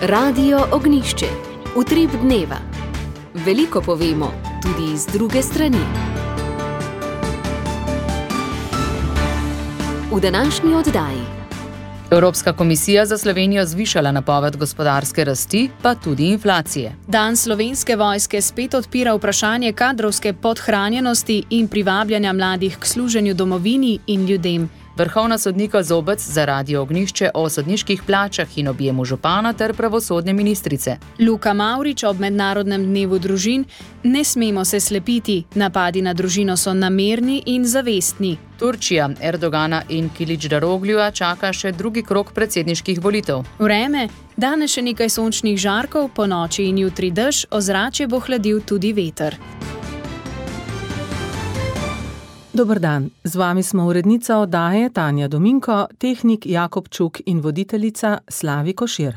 Radio Ognišče, utrip dneva. Veliko povemo, tudi z druge strani. V današnji oddaji. Evropska komisija za Slovenijo zvišala napoved gospodarske rasti, pa tudi inflacije. Dan Slovenske vojske spet odpira vprašanje kadrovske podhranjenosti in privabljanja mladih k služenju domovini in ljudem. Vrhovna sodnika Zobec za Radio Ognišče o sodniških plačah in objemu župana ter pravosodne ministrice. Luka Mavrič ob Mednarodnem dnevu družin: ne smemo se slepiti, napadi na družino so namerni in zavestni. Turčija, Erdogana in Kiličdarogljuja čaka še drugi krog predsedniških volitev. Vreme, danes še nekaj sončnih žarkov, ponoči in jutri dež, ozračje bo hladil tudi veter. Dober dan, z vami smo urednica oddaje Tanja Dominko, tehnik Jakob Čuk in voditeljica Slavi Košir.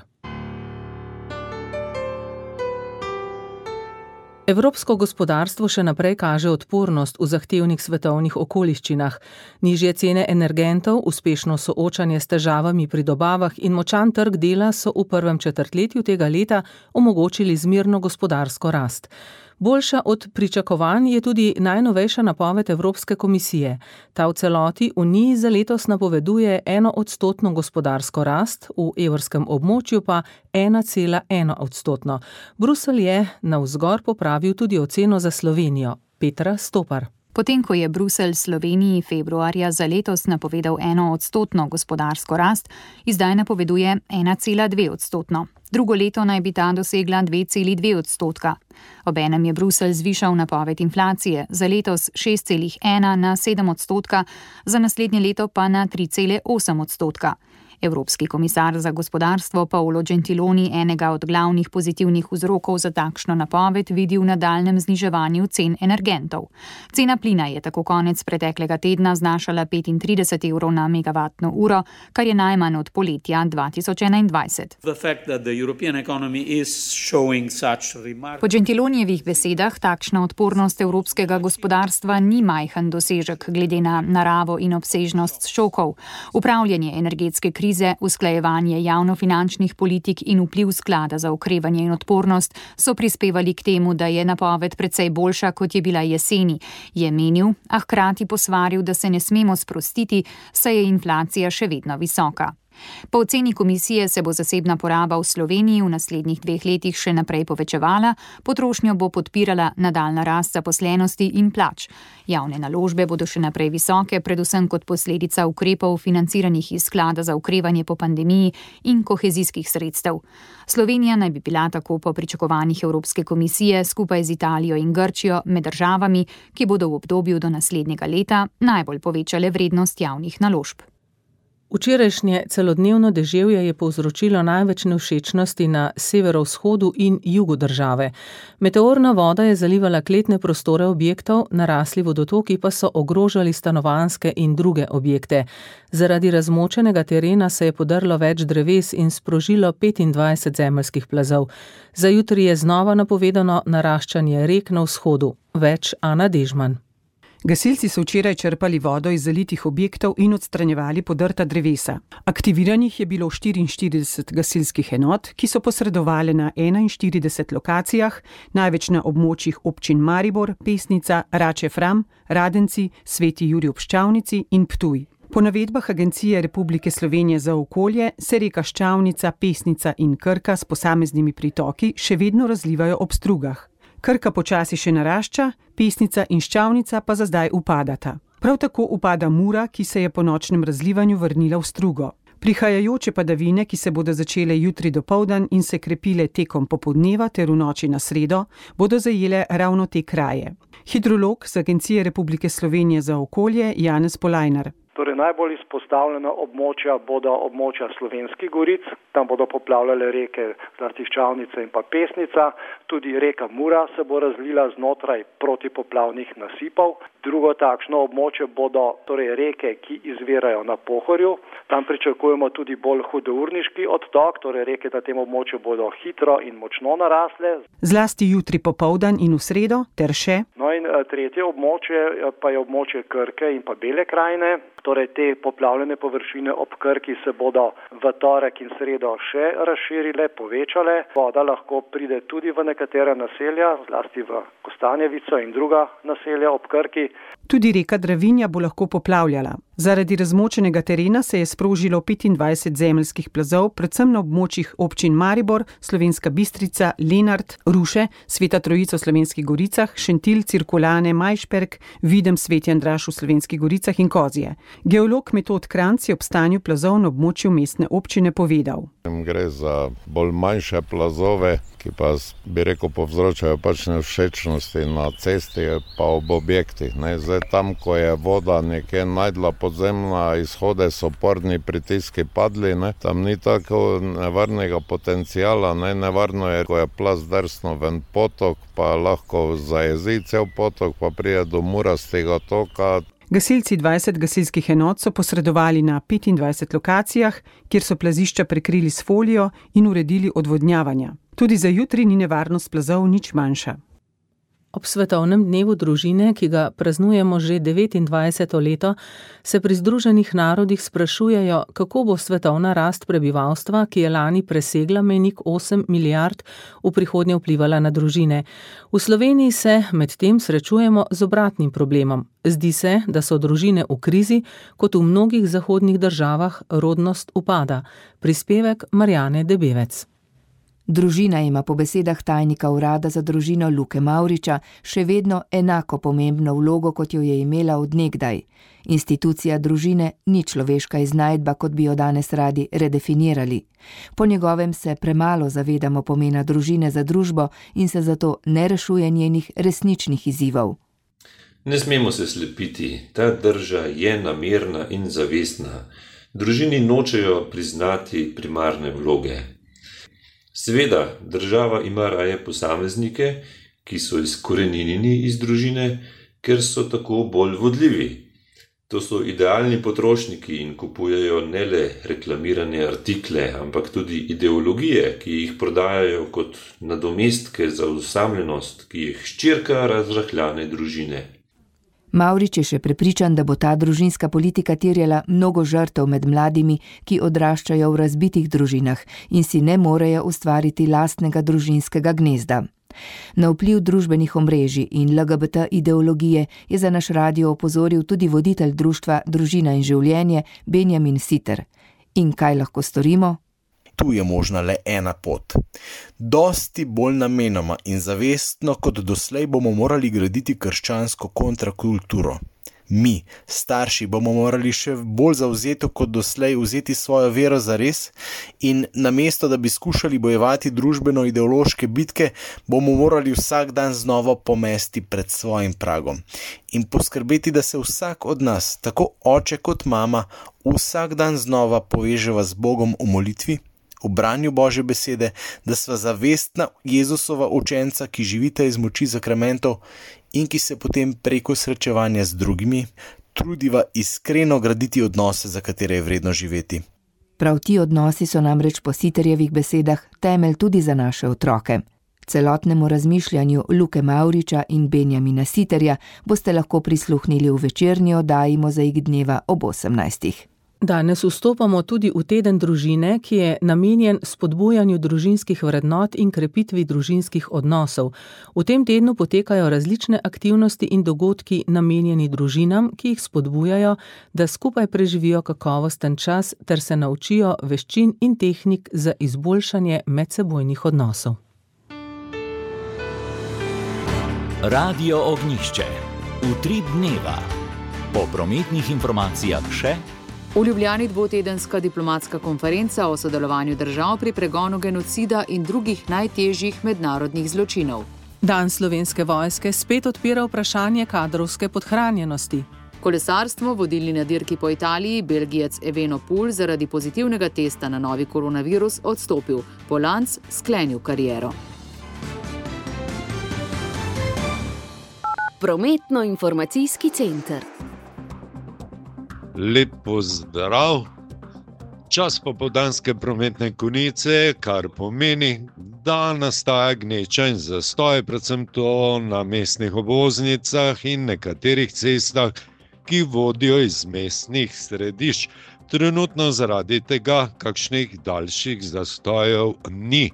Evropsko gospodarstvo še naprej kaže odpornost v zahtevnih svetovnih okoliščinah. Nižje cene energentov, uspešno soočanje s težavami pri dobavah in močan trg dela so v prvem četrtletju tega leta omogočili zmerno gospodarsko rast. Boljša od pričakovanj je tudi najnovejša napoved Evropske komisije. Ta v celoti Uniji za letos napoveduje 1% gospodarsko rast, v evrskem območju pa 1,1%. Bruselj je navzgor popravil tudi oceno za Slovenijo. Petra Stopar. Potem, ko je Bruselj Sloveniji februarja za letos napovedal 1% gospodarsko rast, zdaj napoveduje 1,2%. Drugo leto naj bi ta dosegla 2,2%. Obenem je Bruselj zvišal napoved inflacije, za letos 6,1 na 7%, za naslednje leto pa na 3,8%. Evropski komisar za gospodarstvo Paolo Gentiloni enega od glavnih pozitivnih vzrokov za takšno napoved vidi v nadaljnjem zniževanju cen energentov. Cena plina je tako konec preteklega tedna znašala 35 evrov na megavatno uro, kar je najmanj od poletja 2021. Po Gentilonijevih besedah takšna odpornost evropskega gospodarstva ni majhen dosežek glede na naravo in obsežnost šokov. Upravljanje energetske krize, usklajevanje javnofinančnih politik in vpliv sklada za okrevanje in odpornost so prispevali k temu, da je napoved precej boljša, kot je bila jeseni, je menil, a hkrati posvaril, da se ne smemo sprostiti, saj je inflacija še vedno visoka. Po oceni komisije se bo zasebna poraba v Sloveniji v naslednjih 2 letih še naprej povečevala, potrošnjo bo podpirala nadaljnja rast zaposlenosti in plač. Javne naložbe bodo še naprej visoke, predvsem kot posledica ukrepov financiranih iz sklada za okrevanje po pandemiji in kohezijskih sredstev. Slovenija naj bi bila tako po pričakovanjih Evropske komisije skupaj z Italijo in Grčijo med državami, ki bodo v obdobju do naslednjega leta najbolj povečale vrednost javnih naložb. Včerajšnje celodnevno deževje je povzročilo največ nevšečnosti na severovzhodu in jugu države. Meteorna voda je zalivala kletne prostore objektov, narasli vodotoki pa so ogrožali stanovanjske in druge objekte. Zaradi razmočenega terena se je podrlo več dreves in sprožilo 25 zemeljskih plazov. Za jutri je znova napovedano naraščanje rek na vzhodu. Več Ana Dežman. Gasilci so včeraj črpali vodo iz zalitih objektov in odstranjevali podrta drevesa. Aktiviranih je bilo 44 gasilskih enot, ki so posredovali na 41 lokacijah, največ na območjih občin Maribor, Pesnica, Rače Fram, Radenci, Sveti Jurij ob Ščavnici in Ptuj. Po navedbah Agencije Republike Slovenije za okolje se reka Ščavnica, Pesnica in Krka s posameznimi pritoki še vedno razlivajo ob strugah. Krka počasi še narašča, Pesnica in Ščavnica pa za zdaj upadata. Prav tako upada Mura, ki se je po nočnem razlivanju vrnila v strugo. Prihajajoče padavine, ki se bodo začele jutri dopoldan in se krepile tekom popoldneva ter v noči na sredo, bodo zajele ravno te kraje. Hidrolog z Agencije Republike Slovenije za okolje Janez Polajnar. Torej najbolj izpostavljena območja bodo območja Slovenskih goric, tam bodo poplavljale reke zlasti Ščavnica in pa Pesnica, tudi reka Mura se bo razlila znotraj protipoplavnih nasipov. Drugo takšno območje bodo torej reke, ki izvirajo na Pohorju. Tam pričakujemo tudi bolj hudourniški odtok, torej reke na tem območju bodo hitro in močno narasle. Zlasti jutri popoldan in v sredo ter še. No in tretje območje pa je območje Krke in pa Bele krajine. Torej te poplavljene površine ob Krki se bodo v torek in sredo še razširile, povečale. Voda lahko pride tudi v nekatera naselja, zlasti v Kostanjevico in druga naselja ob Krki. Tudi reka Dravinja bo lahko poplavljala. Zaradi razmočenega terena se je sprožilo 25 zemeljskih plazov, predvsem na območjih občin Maribor, Slovenska Bistrica, Lenart, Ruše, Sveta Trojica v Slovenskih Goricah, Šentilj, Cirkulane, Majšperk, Videm, Sveti Andraž v Slovenskih Goricah in Kozje. Geolog Metod Kranjc je ob stanju plazov na območju mestne občine povedal. Gre za bolj manjše plazove, ki pa, bi rekel, povzročajo pač nevšečnosti na cesti pa ob objektih. Zdaj tam, ko je voda nekje najdla podzemna, izhode so oporni pritiski padli, tam ni tako nevarnega potencijala, nevarno je, ko je plaz drsno ven potok, pa lahko zajezi cel potok, pa prije do murastega toka. Gasilci 20 gasilskih enot so posredovali na 25 lokacijah, kjer so plazišča prekrili s folijo in uredili odvodnjavanja. Tudi za jutri ni nevarnost plazov nič manjša. Ob svetovnem dnevu družine, ki ga praznujemo že 29. leto, se pri Združenih narodih sprašujejo, kako bo svetovna rast prebivalstva, ki je lani presegla mejnik 8 milijard, v prihodnje vplivala na družine. V Sloveniji se medtem srečujemo z obratnim problemom. Zdi se, da so družine v krizi, kot v mnogih zahodnih državah rodnost upada. Prispevek Marjane Debevec. Družina ima po besedah tajnika urada za družino Luke Mavriča še vedno enako pomembno vlogo, kot jo je imela od nekdaj. Institucija družine ni človeška iznajdba, kot bi jo danes radi redefinirali. Po njegovem se premalo zavedamo pomena družine za družbo in se zato ne rešuje njenih resničnih izzivov. Ne smemo se slepiti, ta drža je namerna in zavestna. Družini nočejo priznati primarne vloge. Seveda, država ima raje posameznike, ki so izkoreninjeni iz družine, ker so tako bolj vodljivi. To so idealni potrošniki in kupujejo ne le reklamirane artikle, ampak tudi ideologije, ki jih prodajajo kot nadomestke za osamljenost, ki jih hčerka razrahljane družine. Mavrič je še prepričan, da bo ta družinska politika terjala mnogo žrtev med mladimi, ki odraščajo v razbitih družinah in si ne morejo ustvariti lastnega družinskega gnezda. Na vpliv družbenih omrežij in LGBT ideologije je za naš radio opozoril tudi voditelj društva Družina in življenje Benjamin Siter. In kaj lahko storimo? Tu je možna le ena pot. Dosti bolj namenoma in zavestno kot doslej bomo morali graditi krščansko kontrakulturo. Mi, starši, bomo morali še bolj zavzeto kot doslej vzeti svojo vero zares in namesto, da bi skušali bojevati družbeno-ideološke bitke, bomo morali vsak dan znova pomesti pred svojim pragom in poskrbeti, da se vsak od nas, tako oče kot mama, vsak dan znova poveževa z Bogom v molitvi, v branju Božje besede, da sva zavestna Jezusova učenca, ki živita iz moči sakramentov in ki se potem preko srečevanja z drugimi trudiva iskreno graditi odnose, za katere je vredno živeti. Prav ti odnosi so namreč po Siterjevih besedah temelj tudi za naše otroke. Celotnemu razmišljanju Luke Mavriča in Benjamina Siterja boste lahko prisluhnili v večerni oddaji Mozaik dneva ob 18. Danes vstopamo tudi v teden družine, ki je namenjen spodbujanju družinskih vrednot in krepitvi družinskih odnosov. V tem tednu potekajo različne aktivnosti in dogodki namenjeni družinam, ki jih spodbujajo, da skupaj preživijo kakovosten čas ter se naučijo veščin in tehnik za izboljšanje medsebojnih odnosov. Radio Ognjišče. Utrip dneva. Po prometnih informacijah še. V Ljubljani dvotedenska diplomatska konferenca o sodelovanju držav pri pregonu genocida in drugih najtežjih mednarodnih zločinov. Dan Slovenske vojske spet odpira vprašanje kadrovske podhranjenosti. Kolesarstvo, vodilni na dirki po Italiji, Belgijec Evenepoel zaradi pozitivnega testa na novi koronavirus odstopil. Polanc sklenil kariero. Prometno-informacijski center. Lep pozdrav. Čas popoldanske prometne konice, kar pomeni, da nastaja gneča in zastoj, predvsem to na mestnih obvoznicah in nekaterih cestah, ki vodijo iz mestnih središč. Trenutno zaradi tega kakšnih daljših zastojev ni.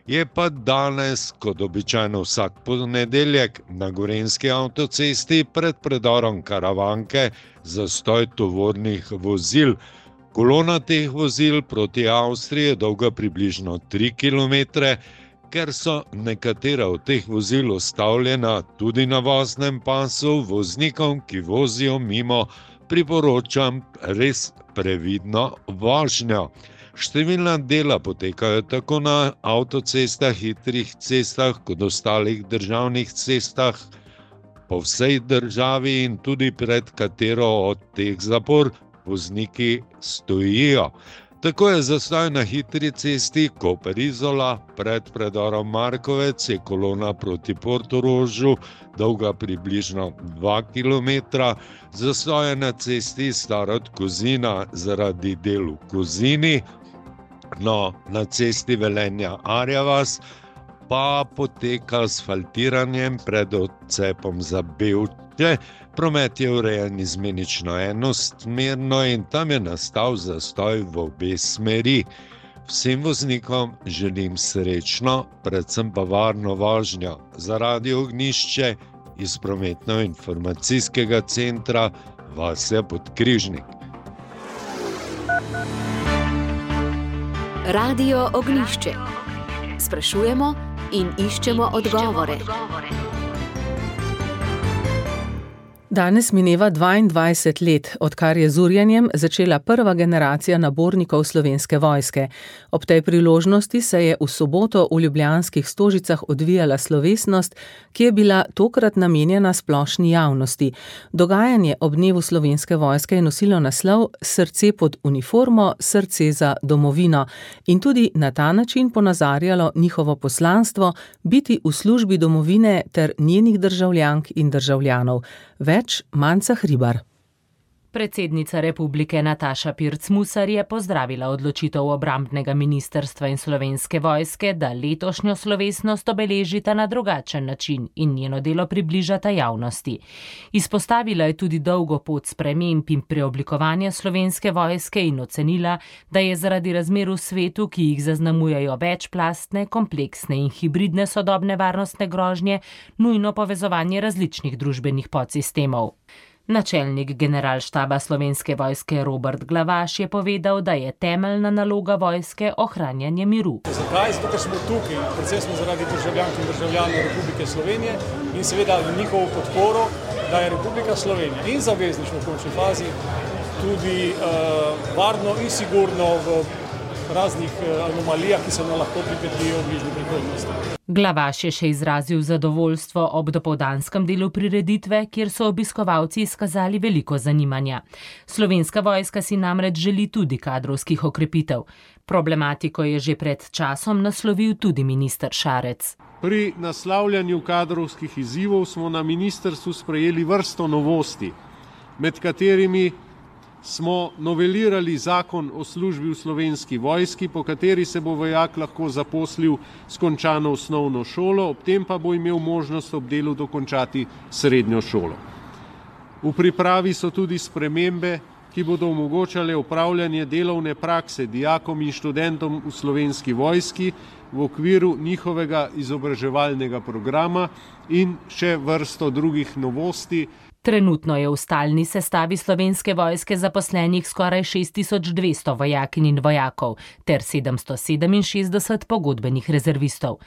Je pa danes, kot običajno vsak ponedeljek, na Gorenjski avtocesti pred predorom Karavanke zastoj tovornih vozil. Kolona teh vozil proti Avstriji je dolga približno 3 km, ker so nekatera od teh vozil ustavljena tudi na voznem pasu, voznikom, ki vozijo mimo, priporočam res previdno vožnjo. Številna dela potekajo tako na avtocestah, hitrih cestah, kot ostalih državnih cestah po vsej državi in tudi pred katero od teh zapor vozniki stojijo. Tako je zastoj na hitri cesti Koper-Izola, pred predorom Markovec je kolona proti Portorožu, dolga približno 2 km, zastoj je na cesti Starod-Kozina zaradi del v Kozini, no, na cesti Velenja-Arjavas pa poteka asfaltiranjem pred odcepom za Bevče. Promet je urejen izmenično enosmerno in tam je nastal zastoj v obe smeri. Vsem voznikom želim srečno, predvsem pa varno vožnjo. Za Radio Ognjišče iz Prometno-informacijskega centra Vasja Podkrižnik. Radio Ognjišče. Sprašujemo in iščemo odgovore. Danes mineva 22 let, odkar je z urjenjem začela prva generacija nabornikov Slovenske vojske. Ob tej priložnosti se je v soboto v ljubljanskih Stožicah odvijala slovesnost, ki je bila tokrat namenjena splošni javnosti. Dogajanje ob dnevu Slovenske vojske je nosilo naslov Srce pod uniformo, srce za domovino in tudi na ta način ponazarjalo njihovo poslanstvo biti v službi domovine ter njenih državljank in državljanov. Več Manca Hribar. Predsednica republike Nataša Pirc-Musar je pozdravila odločitev obrambnega ministrstva in Slovenske vojske, da letošnjo slovesnost obeležita na drugačen način in njeno delo približata javnosti. Izpostavila je tudi dolgo pot sprememb in preoblikovanja Slovenske vojske in ocenila, da je zaradi razmer v svetu, ki jih zaznamujejo večplastne, kompleksne in hibridne sodobne varnostne grožnje, nujno povezovanje različnih družbenih podsistemov. Načelnik generalštaba Slovenske vojske Robert Glavaš je povedal, da je temeljna naloga vojske ohranjanje miru. Zakaj? Zato, ker smo tukaj, predvsem smo zaradi državljank in državljanov Republike Slovenije in seveda njihovo podporo, da je Republika Slovenija in zavezništvo v končni fazi tudi varno in sigurno v raznih anomalijah, ki se nam lahko pripetijo v bližnji prihodnosti. Glavaš je še izrazil zadovoljstvo ob dopoldanskem delu prireditve, kjer so obiskovalci izkazali veliko zanimanja. Slovenska vojska si namreč želi tudi kadrovskih okrepitev. Problematiko je že pred časom naslovil tudi minister Šarec. Pri naslavljanju kadrovskih izzivov smo na ministrstvu sprejeli vrsto novosti, med katerimi smo novelirali zakon o službi v Slovenski vojski, po kateri se bo vojak lahko zaposlil s končano osnovno šolo, ob tem pa bo imel možnost ob delu dokončati srednjo šolo. V pripravi so tudi spremembe, ki bodo omogočale upravljanje delovne prakse dijakom in študentom v Slovenski vojski v okviru njihovega izobraževalnega programa in še vrsto drugih novosti. Trenutno je v stalni sestavi Slovenske vojske zaposlenih skoraj 6200 vojakinj in vojakov ter 767 pogodbenih rezervistov.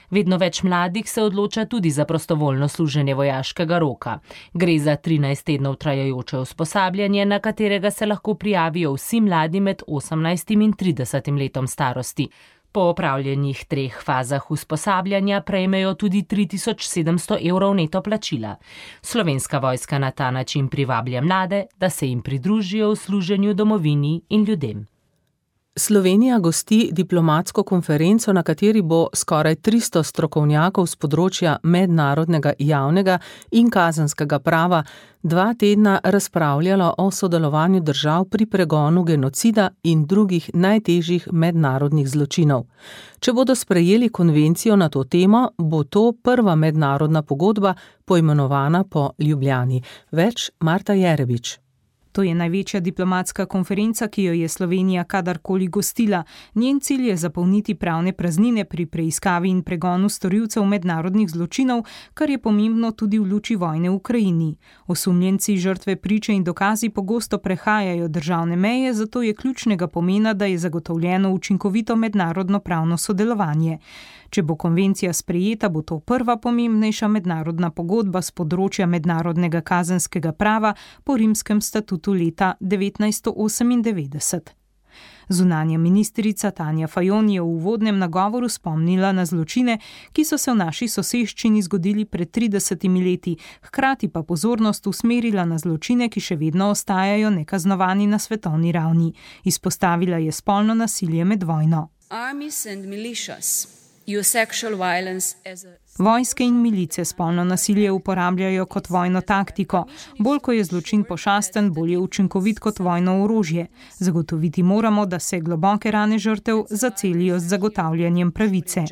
Vedno več mladih se odloča tudi za prostovoljno služenje vojaškega roka. Gre za 13 tednov trajajoče usposabljanje, na katerega se lahko prijavijo vsi mladi med 18 in 30 letom starosti. Po opravljenih 3 fazah usposabljanja prejmejo tudi 3700 evrov neto plačila. Slovenska vojska na ta način privablja mlade, da se jim pridružijo v služenju domovini in ljudem. Slovenija gosti diplomatsko konferenco, na kateri bo skoraj 300 strokovnjakov z področja mednarodnega javnega in kazenskega prava 2 tedna razpravljalo o sodelovanju držav pri pregonu genocida in drugih najtežjih mednarodnih zločinov. Če bodo sprejeli konvencijo na to temo, bo to prva mednarodna pogodba poimenovana po Ljubljani. Več Marta Jerebič. To je največja diplomatska konferenca, ki jo je Slovenija kadarkoli gostila. Njen cilj je zapolniti pravne praznine pri preiskavi in pregonu storilcev mednarodnih zločinov, kar je pomembno tudi v luči vojne v Ukrajini. Osumljenci, žrtve, priče in dokazi pogosto prehajajo državne meje, zato je ključnega pomena, da je zagotovljeno učinkovito mednarodno pravno sodelovanje. Če bo konvencija sprejeta, bo to prva pomembnejša mednarodna pogodba s področja mednarodnega kazenskega prava po rimskem statutu leta 1998. Zunanja ministrica Tanja Fajon je v uvodnem nagovoru spomnila na zločine, ki so se v naši soseščini zgodili pred 30 leti, hkrati pa pozornost usmerila na zločine, ki še vedno ostajajo nekaznovani na svetovni ravni. Izpostavila je spolno nasilje med vojno. Vojske in milice spolno nasilje uporabljajo kot vojno taktiko. Bolj ko je zločin pošasten, bolj je učinkovit kot vojno orožje. Zagotoviti moramo, da se globoke rane žrtev zacelijo z zagotavljanjem pravice.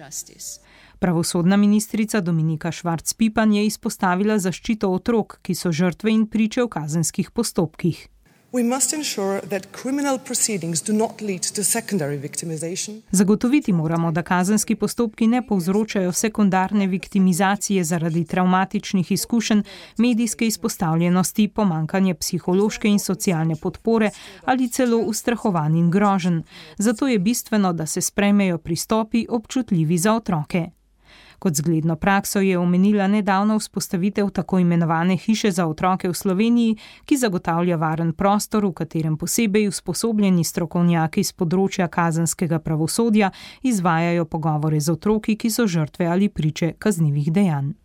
Pravosodna ministrica Dominika Švarc-Pipan je izpostavila zaščito otrok, ki so žrtve in priče v kazenskih postopkih. Zagotoviti moramo, da kazenski postopki ne povzročajo sekundarne viktimizacije zaradi travmatičnih izkušenj, medijske izpostavljenosti, pomanjkanje psihološke in socialne podpore ali celo ustrahovanj in groženj. Zato je bistveno, da se sprejmejo pristopi občutljivi za otroke. Kot zgledno prakso je omenila nedavno vzpostavitev tako imenovane hiše za otroke v Sloveniji, ki zagotavlja varen prostor, v katerem posebej usposobljeni strokovnjaki z področja kazenskega pravosodja izvajajo pogovore z otroki, ki so žrtve ali priče kaznivih dejanj.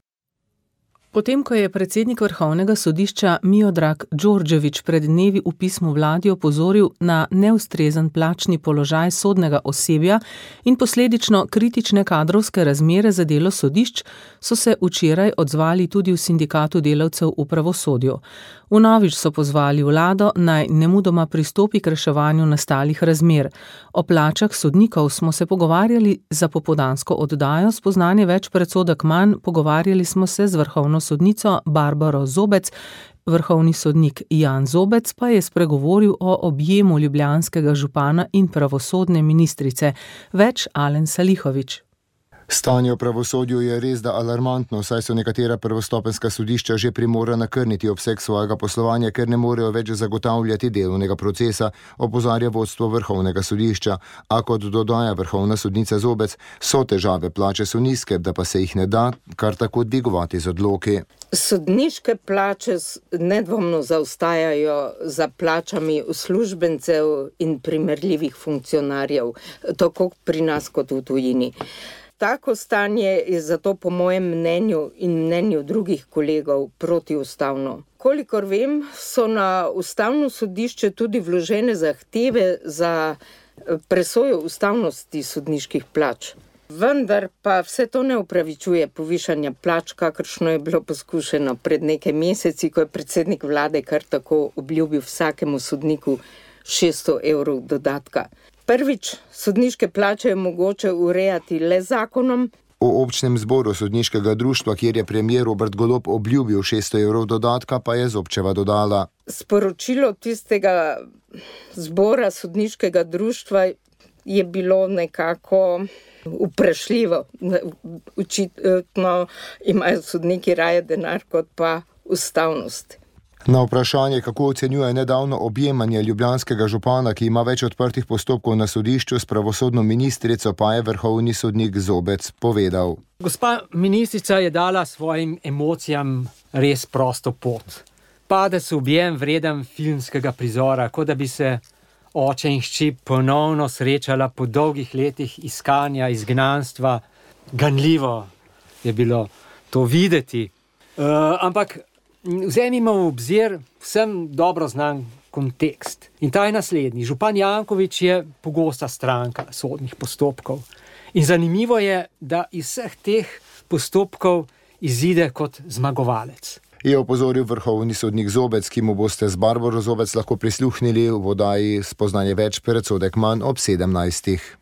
Potem, ko je predsednik Vrhovnega sodišča Miodrag Đorđević pred dnevi v pismu vladi opozoril na neustrezen plačni položaj sodnega osebja in posledično kritične kadrovske razmere za delo sodišč, so se včeraj odzvali tudi v sindikatu delavcev v pravosodju. Vnovič so pozvali vlado, naj nemudoma pristopi k reševanju nastalih razmer. O plačah sodnikov smo se pogovarjali za popoldansko oddajo, spoznanje več predsodek manj, pogovarjali smo se z vrhovno sodnico Barbaro Zobec, vrhovni sodnik Jan Zobec pa je spregovoril o objemu ljubljanskega župana in pravosodne ministrice. Več Alen Salihović. Stanje v pravosodju je res da alarmantno, saj so nekatera prvostopenjska sodišča že primorana krniti obseg svojega poslovanja, ker ne morejo več zagotavljati delovnega procesa, opozarja vodstvo Vrhovnega sodišča. A kot dodaja vrhovna sodnica Zobec, so težave, plače so nizke, da pa se jih ne da kar tako dvigovati z odloki. Sodniške plače nedvomno zaostajajo za plačami uslužbencev in primerljivih funkcionarjev, tako pri nas kot v tujini. Tako stanje je zato po mojem mnenju in mnenju drugih kolegov protiustavno. Kolikor vem, so na ustavno sodišče tudi vložene zahteve za presojo ustavnosti sodniških plač. Vendar pa vse to ne upravičuje povišanja plač, kakršno je bilo poskušeno pred nekaj meseci, ko je predsednik vlade kar tako obljubil vsakemu sodniku 600 evrov dodatka. Prvič, sodniške plače je mogoče urejati le zakonom. V občnem zboru sodniškega društva, kjer je premier Robert Golob obljubil 600 evrov dodatka, pa je Zobčeva dodala. Sporočilo tistega zbora sodniškega društva je bilo nekako vprašljivo. Očitno imajo sodniki raje denar kot pa ustavnost. Na vprašanje, kako ocenjuje nedavno objemanje ljubljanskega župana, ki ima več odprtih postopkov na sodišču s pravosodno ministrico, pa je vrhovni sodnik Zobec povedal. Gospa ministrica je dala svojim emocijam res prosto pot. Padec v objem vreden filmskega prizora, kot da bi se oče in hči ponovno srečala po dolgih letih iskanja, izgnanstva. Ganljivo je bilo to videti. Ampak vzemimo v obzir, vsem dobro znan kontekst. In ta je naslednji. Župan Janković je pogosta stranka sodnih postopkov. In zanimivo je, da iz vseh teh postopkov izide kot zmagovalec. Je opozoril vrhovni sodnik Zobec, ki mu boste z Barbaro Zobec lahko prisluhnili v oddaji Spoznanje več, predsodek manj ob 17.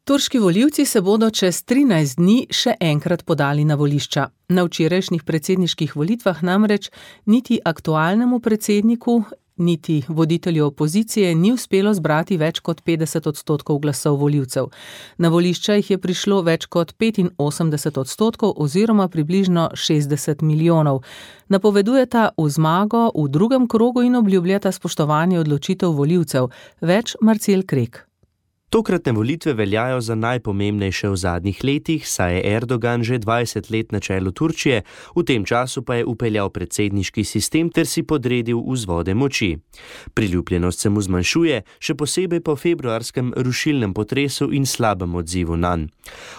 Turški volivci se bodo čez 13 dni še enkrat podali na volišča. Na včerajšnjih predsedniških volitvah namreč niti aktualnemu predsedniku, niti voditelju opozicije ni uspelo zbrati več kot 50% glasov volivcev. Na volišča jih je prišlo več kot 85% oziroma približno 60 milijonov. Napovedujeta v zmago v drugem krogu in obljubljata spoštovanje odločitev volivcev. Več Marcel Krek. Tokratne volitve veljajo za najpomembnejše v zadnjih letih, saj je Erdogan že 20 let na čelu Turčije, v tem času pa je upeljal predsedniški sistem ter si podredil vzvode moči. Priljubljenost se mu zmanjšuje, še posebej po februarskem rušilnem potresu in slabem odzivu nanj.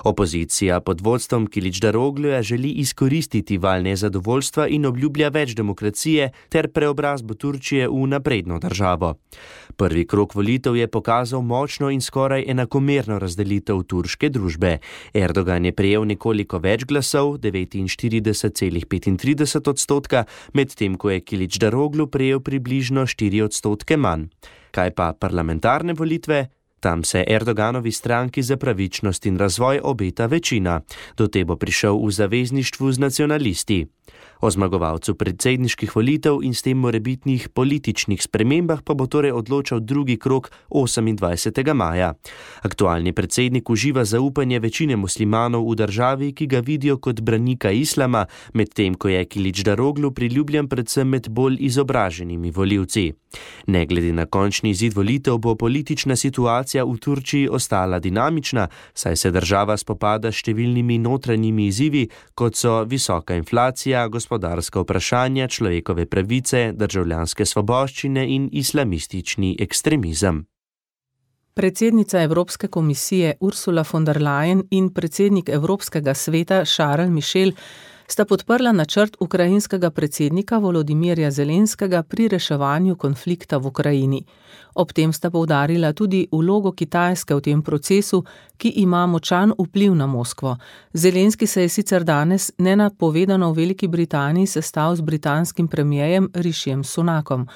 Opozicija pod vodstvom Kiličdarogluja želi izkoristiti val nezadovoljstva in obljublja več demokracije ter preobrazbo Turčije v napredno državo. Prvi krog volitev je pokazal močno in skoraj enakomerno razdelitev turške družbe. Erdogan je prejel nekoliko več glasov, 49,35%, medtem ko je Kiličdaroglu prejel približno 4% manj. Kaj pa parlamentarne volitve? Tam se Erdoganovi stranki za pravičnost in razvoj obeta večina. Do te bo prišel v zavezništvu z nacionalisti. O zmagovalcu predsedniških volitev in s tem morebitnih političnih spremembah pa bo torej odločal drugi krog 28. maja. Aktualni predsednik uživa zaupanje večine muslimanov v državi, ki ga vidijo kot branika islama, medtem ko je Kiličdaroglu priljubljen predvsem med bolj izobraženimi volivci. Ne glede na končni izid volitev bo politična situacija v Turčiji ostala dinamična, saj se država spopada s številnimi notranjimi izzivi, kot so visoka inflacija, gospodarska vprašanja, človekove pravice, državljanske svoboščine in islamistični ekstremizem. Predsednica Evropske komisije Ursula von der Leyen in predsednik Evropskega sveta Charles Michel sta podprla načrt ukrajinskega predsednika Volodimirja Zelenskega pri reševanju konflikta v Ukrajini. Ob tem sta poudarila tudi vlogo Kitajske v tem procesu, ki ima močan vpliv na Moskvo. Zelenski se je sicer danes nenapovedano v Veliki Britaniji sestal z britanskim premierjem Rishijem Sunakom.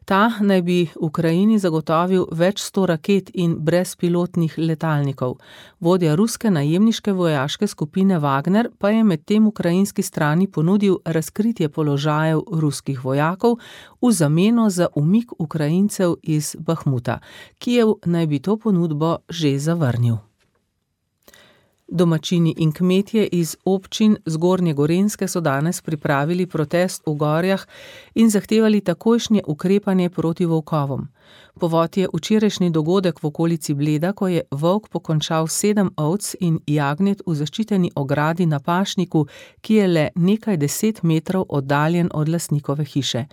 Ta naj bi Ukrajini zagotovil več 100 raket in brezpilotnih letalnikov. Vodja ruske najemniške vojaške skupine Wagner pa je medtem ukrajinski strani ponudil razkritje položajev ruskih vojakov v zameno za umik Ukrajincev iz Bahmuta. Kijev naj bi to ponudbo že zavrnil. Domačini in kmetje iz občin Zgornje Gorenjske so danes pripravili protest v Gorjah in zahtevali takojšnje ukrepanje proti volkovom. Povod je včerajšnji dogodek v okolici Bleda, ko je volk pokončal 7 ovc in jagnjet v zaščiteni ogradi na pašniku, ki je le nekaj 10 metrov oddaljen od lastnikove hiše.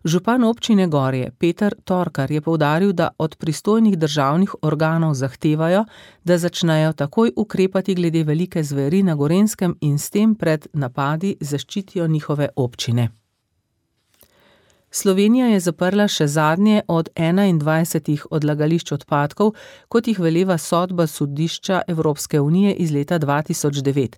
Župan občine Gorje Peter Torkar je poudaril, da od pristojnih državnih organov zahtevajo, da začnejo takoj ukrepati glede velike zveri na Gorenjskem in s tem pred napadi zaščitijo njihove občine. Slovenija je zaprla še zadnje od 21 odlagališč odpadkov, kot jih veleva sodba sodišča Evropske unije iz leta 2009.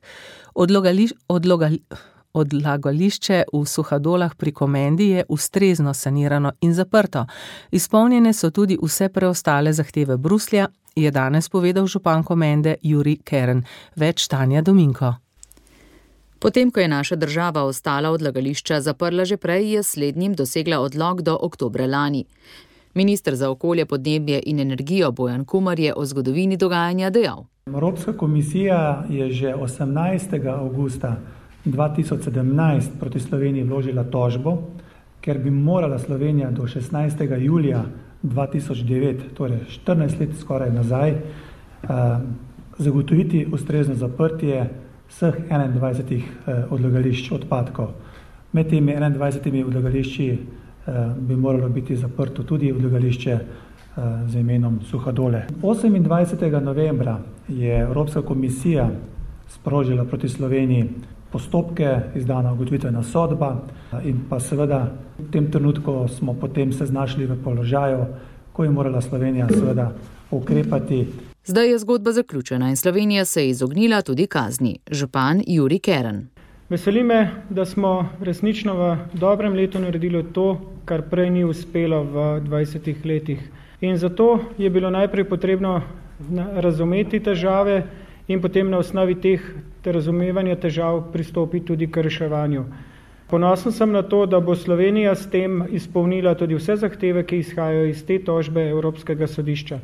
Odlagališče v Suhadolah pri Komendi je ustrezno sanirano in zaprto. Izpolnjene so tudi vse preostale zahteve Bruslja, je danes povedal župan Komende Jurij Kern. Več Tanja Dominko. Potem, ko je naša država ostala odlagališča zaprla že prej, je slednjim dosegla odlog do oktobra lani. Minister za okolje, podnebje in energijo Bojan Kumer je o zgodovini dogajanja dejal. Evropska komisija je že 18. avgusta 2017 proti Sloveniji vložila tožbo, ker bi morala Slovenija do 16. julija 2009, torej 14 let skoraj nazaj, zagotoviti ustrezno zaprtje vseh 21 odlagališč odpadkov. Med temi 21 odlagališči bi moralo biti zaprto tudi odlagališče z imenom Suhadole. 28. novembra je Evropska komisija sprožila proti Sloveniji postopke, izdana ugotovitvena sodba in pa seveda v tem trenutku smo potem se znašli v položaju, ko je morala Slovenija seveda ukrepati. Zdaj je zgodba zaključena in Slovenija se je izognila tudi kazni. Župan Jurij Kern. Veseli me, da smo resnično v dobrem letu naredili to, kar prej ni uspelo v 20 letih. In zato je bilo najprej potrebno razumeti težave in potem na osnovi teh razumevanja težav pristopiti tudi k reševanju. Ponosen sem na to, da bo Slovenija s tem izpolnila tudi vse zahteve, ki izhajajo iz te tožbe Evropskega sodišča.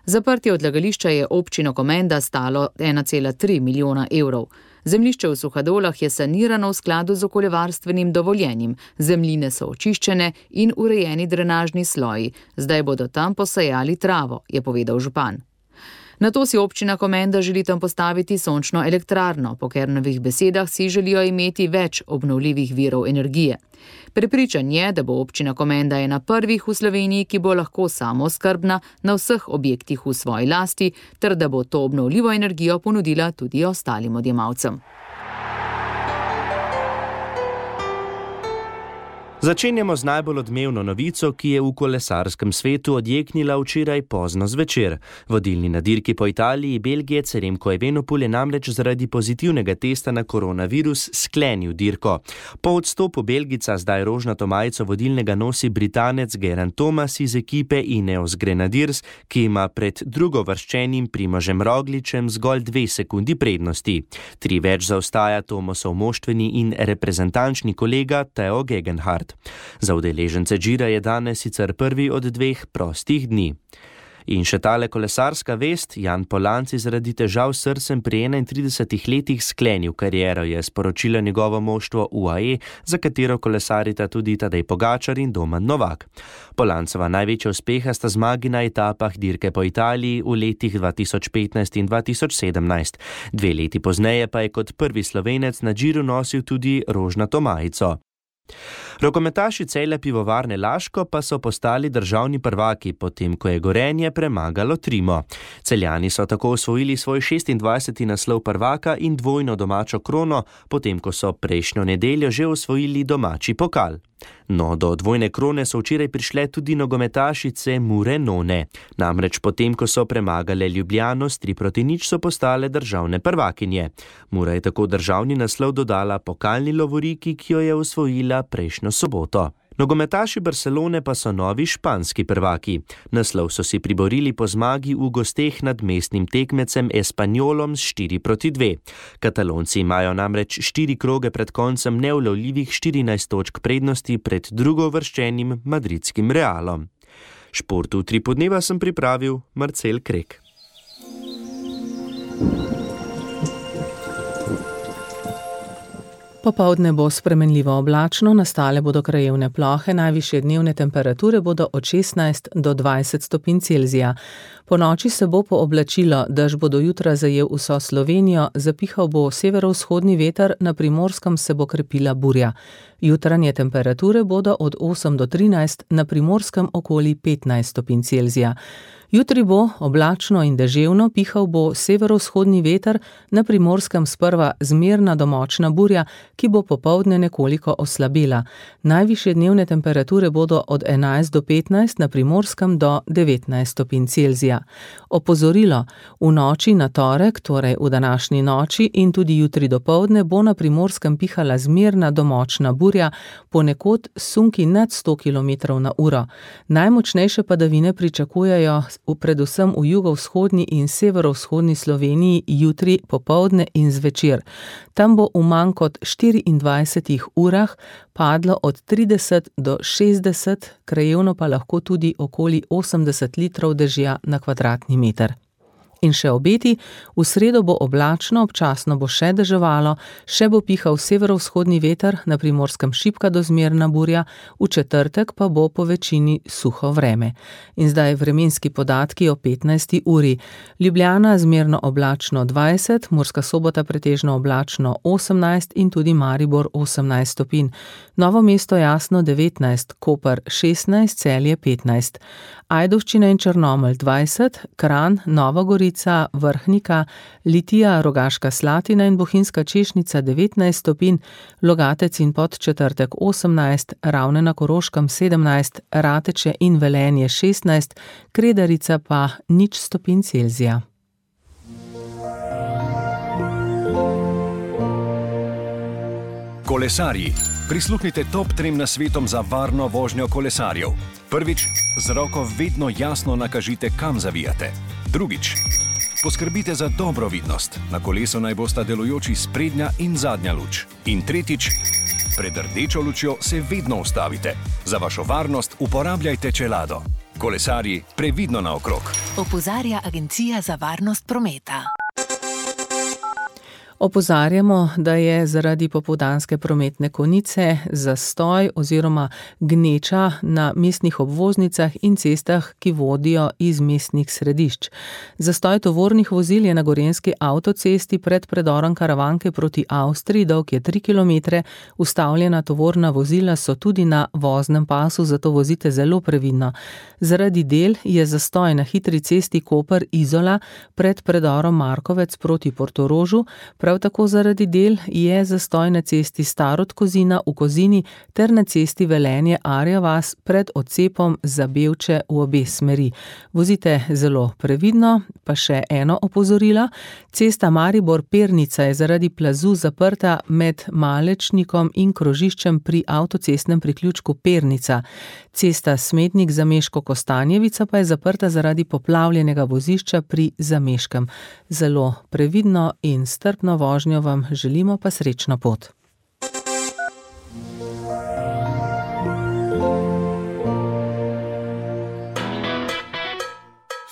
Zaprtje odlagališča je občino Komenda stalo 1,3 milijona evrov. Zemljišče v Suhadolah je sanirano v skladu z okoljevarstvenim dovoljenjem. Zemljine so očiščene in urejeni drenažni sloji. Zdaj bodo tam posajali travo, je povedal župan. Nato si občina Komenda želi tam postaviti sončno elektrarno. Po Kernovih besedah si želijo imeti več obnovljivih virov energije. Prepričan je, da bo občina Komenda ena prvih v Sloveniji, ki bo lahko samooskrbna na vseh objektih v svoji lasti, ter da bo to obnovljivo energijo ponudila tudi ostalim odjemalcem. Začenjamo z najbolj odmevno novico, ki je v kolesarskem svetu odjeknila včeraj pozno zvečer. Vodilni na dirki po Italiji, Belgijec Remco Evenepoel je namreč zaradi pozitivnega testa na koronavirus sklenil dirko. Po odstopu Belgica zdaj rožnato majico vodilnega nosi Britanec Geraint Thomas iz ekipe Ineos Grenadiers, ki ima pred drugovrščenim Primožem Rogličem zgolj 2 sekundi prednosti. 3 več zaostaja Thomasov moštveni in reprezentančni kolega Theo Gegenhardt. Za udeležence Gira je danes sicer prvi od 2 prostih dni. In še tale kolesarska vest, Jan Polanc je zaradi težav s srcem pri 31 letih sklenil kariero, je sporočilo njegovo moštvo UAE, za katero kolesarita tudi Tadej Pogačar in Domen Novak. Polancova največja uspeha sta zmagi na etapah dirke po Italiji v letih 2015 in 2017. 2 leti pozneje pa je kot prvi Slovenec na Giru nosil tudi rožnato majico. Rokometaši Celja Pivovarne Laško pa so postali državni prvaki, potem ko je Gorenje premagalo Trimo. Celjani so tako osvojili svoj 26. naslov prvaka in dvojno domačo krono, potem ko so prejšnjo nedeljo že osvojili domači pokal. No, do dvojne krone so včeraj prišle tudi nogometašice Mure None. Namreč potem, ko so premagale Ljubljano s 3-0, so postale državne prvakinje. Mura je tako državni naslov dodala pokalni lovoriki, ki jo je osvojila prejšnjo soboto. Nogometaši Barcelone pa so novi španski prvaki. Naslov so si priborili po zmagi v gosteh nad mestnim tekmecem Espanyolom s 4-2. Katalonci imajo namreč 4 kroge pred koncem neulovljivih 14 točk prednosti pred drugouvrščenim madridskim Realom. Šport v 3 podneva sem pripravil Marcel Krek. Popoldne bo spremenljivo oblačno, nastale bodo krajevne plohe, najvišje dnevne temperature bodo od 16 do 20 stopinj Celzija. Po noči se bo pooblačilo, dež bo do jutra zajel vso Slovenijo, zapihal bo severovzhodni veter, na Primorskem se bo krepila burja. Jutranje temperature bodo od 8 do 13, na Primorskem okoli 15 stopinj Celzija. Jutri bo oblačno in deževno, pihal bo severovzhodni veter, na Primorskem sprva zmerna do močna burja, ki bo popoldne nekoliko oslabela. Najvišje dnevne temperature bodo od 11 do 15, na Primorskem do 19 stopinj Celzija. Opozorilo, v noči na torek, torej v današnji noči in tudi jutri dopoldne, bo na Primorskem pihala zmerna do močna burja, ponekod sunki nad 100 km/h. Najmočnejše padavine pričakujejo predvsem v jugovzhodni in severovzhodni Sloveniji jutri popoldne in zvečer. Tam bo v manj kot 24 urah padlo od 30 do 60, krajevno pa lahko tudi okoli 80 litrov dežja na kvadratni meter. In še obeti, v sredo bo oblačno, občasno bo še deževalo, še bo pihal severovzhodni veter, na Primorskem šibka do zmerna burja, v četrtek pa bo po večini suho vreme. In zdaj vremenski podatki o 15. uri. Ljubljana zmerno oblačno 20, Murska Sobota pretežno oblačno 18 in tudi Maribor 18 stopinj. Novo mesto jasno 19, Koper 16, Celje 15. Ajdovščina in Črnomelj 20, Kranj, Nova Gorica Mitrovica, Vrhnika, Litija, Rogaška Slatina in Bohinjska Češnica 19 stopinj, Logatec in Podčetrtek 18, Ravne na Koroškem 17, Rateče in Velenje 16, Kredarica pa 0 stopinj Celzija. Kolesarji. Prisluhnite top 3 nasvetom za varno vožnjo kolesarjev. Prvič, z roko vedno jasno nakažite, kam zavijate. Drugič, poskrbite za dobro vidnost. Na kolesu naj bosta delujoči sprednja in zadnja luč. In tretjič, pred rdečo lučjo se vedno ustavite. Za vašo varnost uporabljajte čelado. Kolesarji, previdno naokrog. Opozarja Agencija za varnost prometa. Opozarjamo, da je zaradi popoldanske prometne konice zastoj oziroma gneča na mestnih obvoznicah in cestah, ki vodijo iz mestnih središč. Zastoj tovornih vozil je na gorenjski avtocesti pred predorom Karavanke proti Avstriji, dolg je 3 km, ustavljena tovorna vozila so tudi na voznem pasu, zato vozite zelo previdno. Zaradi del je zastoj na hitri cesti Koper-Izola pred predorom Markovec proti Portorožu, prav tako zaradi del je zastoj na cesti Starod-Kozina v Kozini ter na cesti Velenje-Arja vas pred odcepom za Bevče v obe smeri. Vozite zelo previdno, pa še eno opozorilo. Cesta Maribor-Pernica je zaradi plazu zaprta med Malečnikom in krožiščem pri avtocestnem priključku Pernica. Cesta Smetnik-Zameško-Kostanjevica pa je zaprta zaradi poplavljenega vozišča pri Zameškem. Zelo previdno in strpno vožnjo vam želimo, pa srečno pot.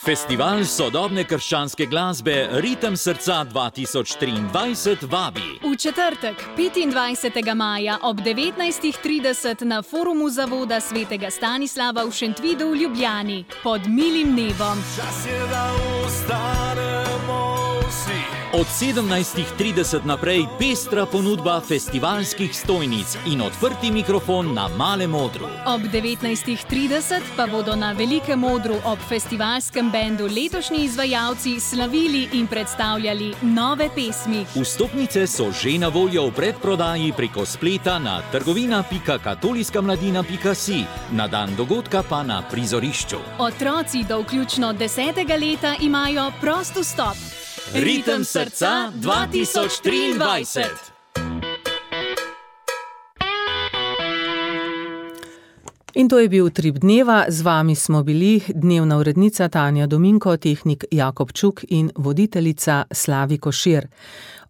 Festival sodobne krščanske glasbe Ritem srca 2023 vabi. V četrtek, 25. maja ob 19:30 na forumu Zavoda svetega Stanislava v Šentvidu v Ljubljani pod milim nebom. Čas je, da ostanemo vsi. Od 17:30 naprej pestra ponudba festivalskih stojnic in odprti mikrofon na Malem odru. Ob 19:30 pa bodo na Velikem odru ob festivalskem bendu letošnji izvajalci slavili in predstavljali nove pesmi. Vstopnice so že na voljo v predprodaji preko spleta na trgovina.katolijskamladina.si, na dan dogodka pa na prizorišču. Otroci do vključno 10. leta imajo prost vstop. Ritem srca 2023. In to je bil Utrip dneva, z vami smo bili dnevna urednica Tanja Dominko, tehnik Jakob Čuk in voditeljica Slavi Košir.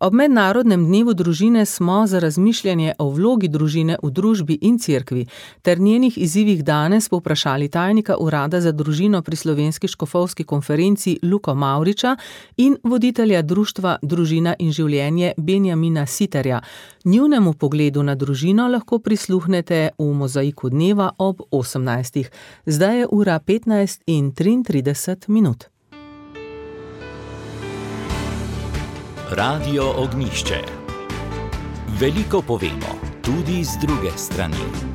Ob mednarodnem dnevu družine smo za razmišljanje o vlogi družine v družbi in cerkvi ter njenih izzivih danes povprašali tajnika Urada za družino pri Slovenski škofovski konferenci Luko Mavriča in voditelja društva Družina in življenje Benjamina Siterja. Njunemu pogledu na družino lahko prisluhnete v Mozaiku dneva ob 18. Zdaj je ura 15:33. Radio Ognjišče. Veliko povemo, tudi z druge strani.